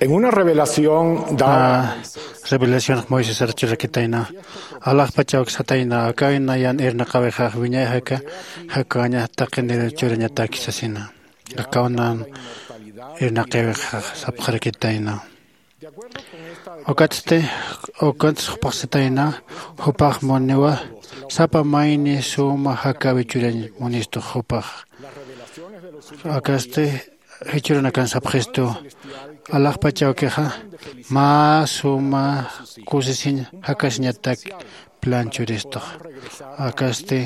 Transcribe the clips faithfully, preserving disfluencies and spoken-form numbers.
En una revelación dada, revelación moisés archurakitayna, alaxpachawksatayna akayna yan irnaqawixax wiñay jaka jakaña taqinir churañataki sasina. Akawnan irnaqawixax sapxarakitayna. Ukatsti ukats jupaxsatayna, jupax muniwa sapa mayni suma jakawi churañ munistu jupax. Akasti jichhürunakan sapxistu, alaxpach awkixa mä suma kusisiñ jakasiñatak plan churistux. Akasti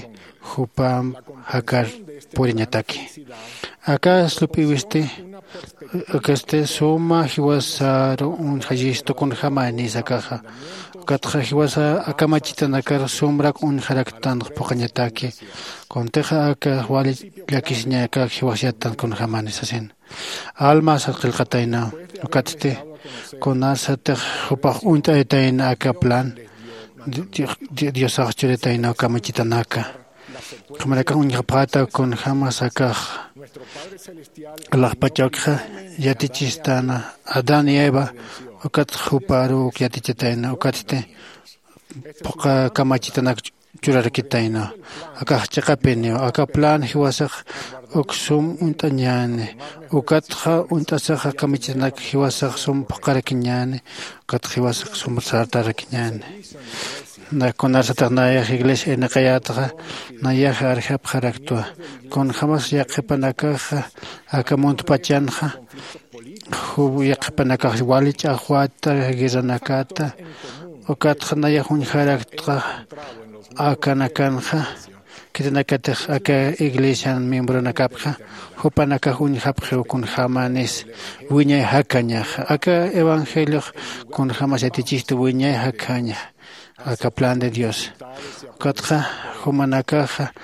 jupamp jakar puriñataki. Akas lup'iwisti akasti suma jiwasaru uñjayistu kunjämanis akaxa. Ukatxa jiwasa akamachitanakar sumrak uñjaraktanx phuqhañataki. Kuntixa aka wali llakisiñakak jiwasyatan kunjämanis sasin. Almas qillqatayna. Ukatsti kunasatix jupax uñt'aytayna aka plan diosax churitaynaw kamachitanaka. Jumanakax uñjapxätaw kunjämas akax alaxpach awkixa yatichistana adán y eva. Ukatx juparuw uk yatichatayna ukatsti phuqha kamachitanak churarakitayna. Akax chiqapiniw aka plan jiwasax uk sum uñt'añäni. Ukatxa uñt'asaxa kamachitanak jiwasax sum phuqharakiñäni. Ukatxa jiwasax sum sartarakiñäni. Kunarsatix nayax iglesia irnaqayätaxa nayax arjapxaraktwa. Kunjämas yaqhipanakaxa aka muntpachanxa juw yaqhipanakax wali ch'axwäta guerranakata. Ukatxa nayax uñjaraktxa akanakanxa khitinakatix aka iglesian miembronakapxa jupanakax uñjapxiw kunjämanis wiñay jakañaxa aka evangeliox kunjämas yatichistu wiñay jakaña. Aka plan de dios ukatxa jumanakaxa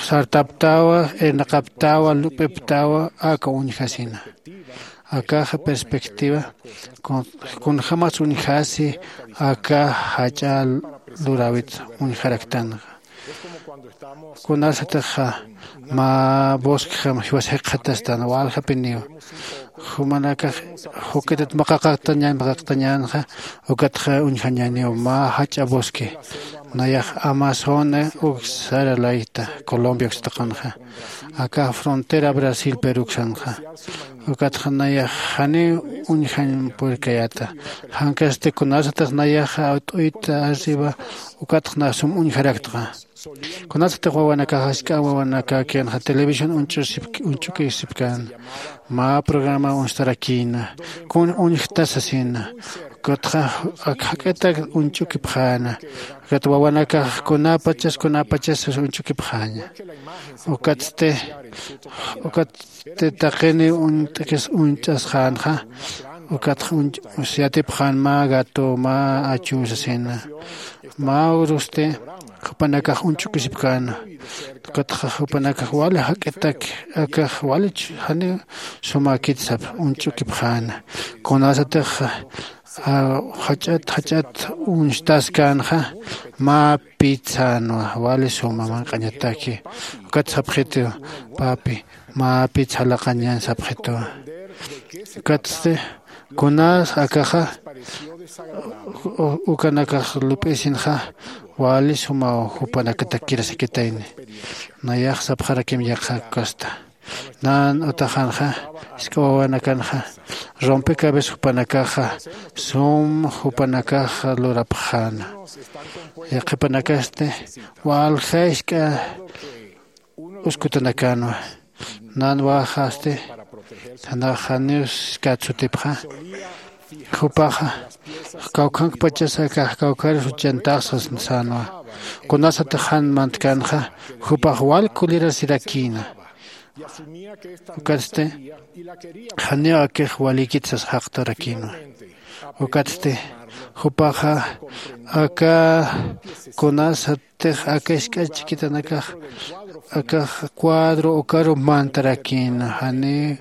sartaptawa irnaqaptawa lup'iptawa aka uñjasina. Akaxa perspectiva kunjämas uñjasi aka jach'a luräwit uñjaraktanxa. Kunasatixa mä bosquejam jiwas jikxatastan waljapiniw jumanakax jukitat maqaqaqtañan maqaqtañänxa. Ukatxa uñjañäniw mä jach'a bosque nayax amazona uk sara layta colombia uksataqanxa. Aka frontera brasil peruksanxa. Ukatxa nayax janiw uñjañ purkayäta. Jankasti kunasatix nayaxa awt'uyta arriba ukatxa na sum uñjaraktxa. Kunasatix wawanakax ask'a wawanakäkïnxa televisión uñch'ukisipkän mä programa uñstarakïna kun uñjta sasina. Ukatxa ak jak'itak uñch'ukipxäna. Ukat wawanakax kunäpachas kunäpachas uñch'ukipxäña. Ukatsti ukatsti taqini uñt'kis uñch'asxänxa. Ukatxa uñch yatipxän mä gato mä achu sasina. Mä urusti jupanakax uñch'ukisipkäna. Ukatxa jupanakax wali jak'itak akax walich janiw sumäkit sap uñch'ukipxäna. Kunasatix jach'at jach'at uñstaskänxa mä pit sänwa wali suma manq'añataki. Ukat sapxitiw papi mä pit salaqañan sapxitiwa. Ukatsti kunas akaxa ukanakax lup'isinxa wali sumaw jupanakatakirasakitayni. Nayax sapxarakim yaqha kasta nan utaxanxa jisk'a wawanakanxa rompecabezas jupanakaxa sum jupanakaxa lurapxäna. Yaqhipanakasti walja jisk'a uskutanakänwa. Nan wäxasti janax janiw jiskät sutipxa. Jupaxa kawkhankpachas akax kawkharus uchantaxsa sänwa. Kunasatix jan mantkänxa jupax wal kulirasirakïna. Ukatsti janiw akix walïkit sas jaqtarakïnwa. Ukatsti jupaxa aka kunasatix aka jisk'a chikitanakax akax cuadro ukaru mantarakïna janiw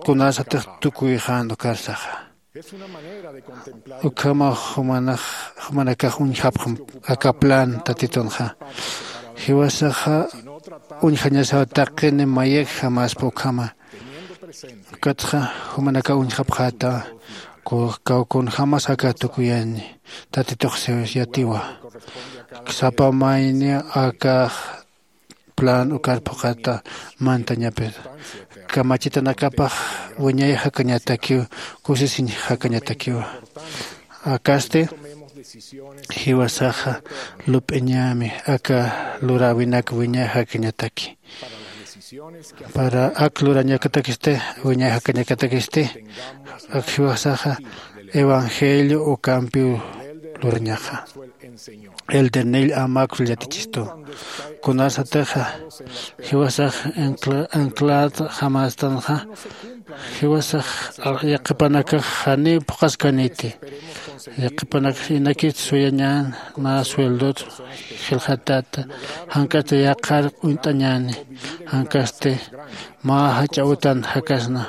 kunasatix tukuyxän ukarsaxa. Ukhamax jumanakax uñjapxam aka plan tatitunxa. Jiwasaxa uñjañasaw taqini mayakjamaspa ukhama. Ukatxa jumanakaw uñjapxäta, kaw kunjämas aka tukuyani tatitux yatiwa. Sapa mayni akax plan ukar phuqhata mantañapir, kamachitanakapax wiñay jakañatakiw, kusisiñ jakañatakiwa. Akasti jiwasaxa lup'iñämi aka luräwinak wiñay jakañataki. Para ak lurañakatakisti, wiñay jakañakatakisti, ak jiwasaxa evangelio ukampiw lurañaxa. Elder Neil A. Maxwell yatichistu. Kunasatixa jiwasax anclad jamastanxa, jiwasax yaqhipanakax janiw phuqhaskaniti. Yaqhipanakax inakit suyañän, mä sueldot jilxatata, jank'at yaqhar uñt'añäni, jank'asti mä jach'a utan jakasna.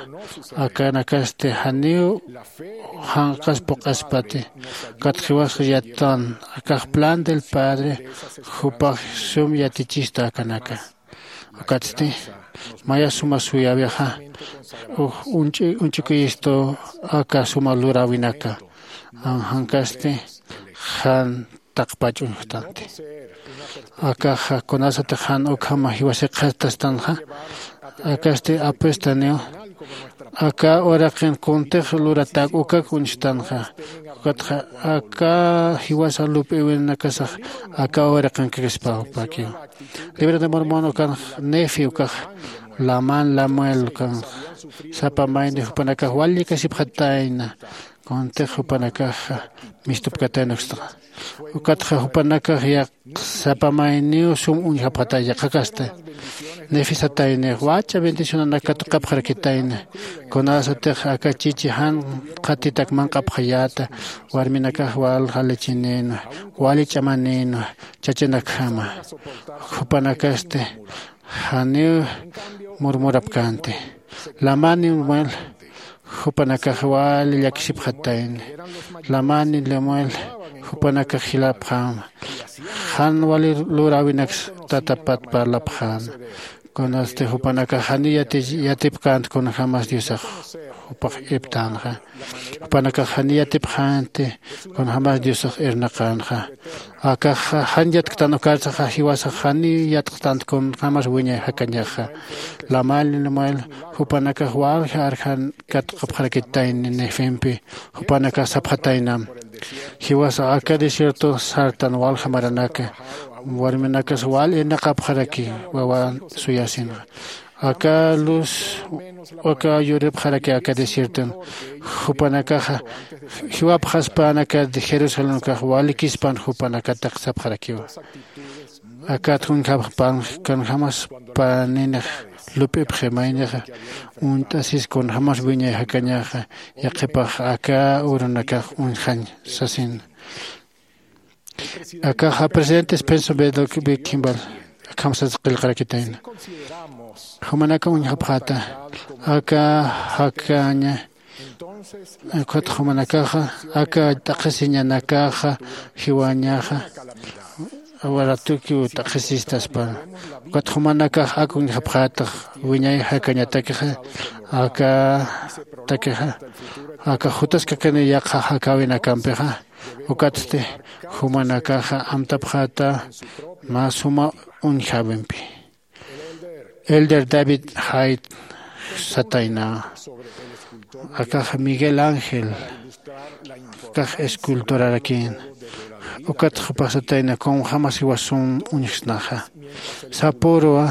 Akanakasti janiw janq'as phuqhaspati. Ukat jiwasxa yattan akax plan del Padre, jupax sum yatichista akanaka. Ukatsti maya suma suyäwixa uñch'ukiyistu aka suma luräwinaka. Jankasti jan taqpach uñjtanti. Akaxa kunasatix jan ukhama jiwasix qhatastanxa, akasti apestaniw aka uraqin kuntix luratak ukak uñstanxa. Ukatxa aka jiwasa lup'iwinakasax aka uraqinkakispawpakiw. Libro de Mormon ukanx, Nefi ukax, Laman Lamuel ukanx, sapa mayni jupanakax wali llikasipxatayna kuntix jupanakaxa mistupkatayna ukstaxa. Ukatxa jupanakax yaq sapa mayniw sum uñjapxatay yaqhakasti. Nefi satayni, wach'a bendicionanak katuqapxarakitayna. Kunasatix aka chichi jan qhatitak manq'apxayäta, warminakax walja lechenïnwa, wali ch'amanïnwa chachanakjama. Jupanakasti janiw murmurapkänti. Lamani Lemuel jupanakax wali llakisipxatayni. Lamani Lemuel jupanakax jilapxäma. Jan wali luräwinaks tatapat parlapxäna. Kunasti jupanakax janiw yati yatipkänti kunjämas Diosax jupax irptänxa. Jupanakax janiw yatipxänti kunjämas Diosax irnaqänxa. Akaxa jan yatktan ukarsaxa jiwasax janiw yatxtanti kunjämas wiñay jakañaxa. Lamani Lemuel jupanakax walja arjan katuqapxarakitayni Nefimpi. Jupanakax sapxataynam, jiwasax aka desierto sartan walja maranaka, warminakas wal irnaqapxaraki wawan suyasinxa. Aka luz aka yuripxaraki aka desierton. Jupanakaxa jiwapxaspan aka Jerusalén ukax walikispan jupanakatak sapxarakiwa. Akat kunjapxpan kunjämas paninix lup'ipxi maynixa uñt'asis kunjämas wiñay jakañaxa, yaqhipax aka urunakax uñjañ sasin. Akaxa presidente Spencer B. Kimball akham sas qillqarakitayna. Jumanaka uñjapxäta aka jakaña. Ukat jumanakaxa aka t'aqhisiñanakaxa jiwañaxa waratukiw t'aqhisistaspa. Ukat jumanakax ak uñjapxätax wiñay jakañatakixa aka takixa aka jutaskakani yaqha jakäwinakampixa. Ukatsti jumanakaxa amtapxäta mä suma uñjäwimpi. Elder David Hyde satayna, akax Miguel Ángel akax escultorarakïn. Ukat jupax satayna kunjämas jiwasum uñjsnaxa. Sapürwa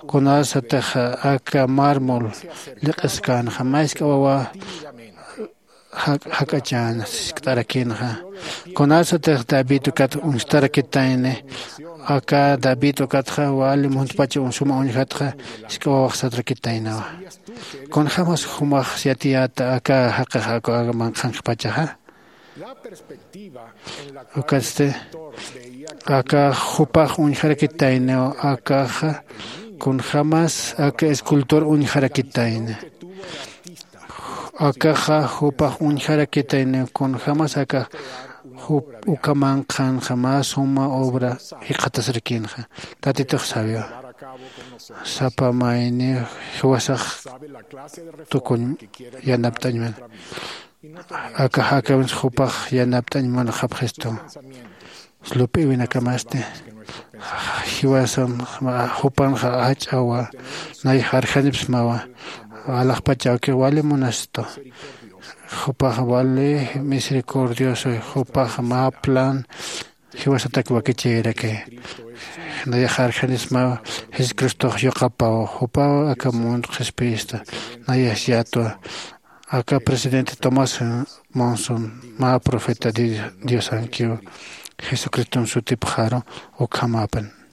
kunasatix aka mármol lliq'iskänxa, mä jisk'a wawa jak'achäna sisk'tarakïnxa. Kunasatix David ukat uñstarakitayni, aka David ukatxa wali muntpach suma uñjatxa jisk'a wawax satarakitaynawa. Kunjämas jumax yatiyäta aka jaqix aka manqhanqpachaxa. Ukatsti aka jupax uñjarakitayniw akaxa kunjämas aka escultor uñjarakitayni. Akaxa jupax uñjarakitayniw kunjämas aka jup uka manqhanxa mä suma obra jikxatasrakïnxa. Tatitux sabiwa. Sapa mayni jiwasax tukuñ yanapt'añman. Aka jakamins jupax yanapt'añ munxapxistu. Lup'iwinakamasti jiwasan jupanxa ach'awa. Nay jarjanipsmawa. Alaxpachawki wali munastu. Jupax wali misericordioso. Jupax mä plan jiwasatak wakichiraki. Nayax jarjanismaw. Jesucristox yuqapaw jupaw aka mundo qhispiyista. Nayax yatwa. Aka presidente Tomás Monson mä profeta diosankiw. Jesucriston sutipxaru. Ukhamapan.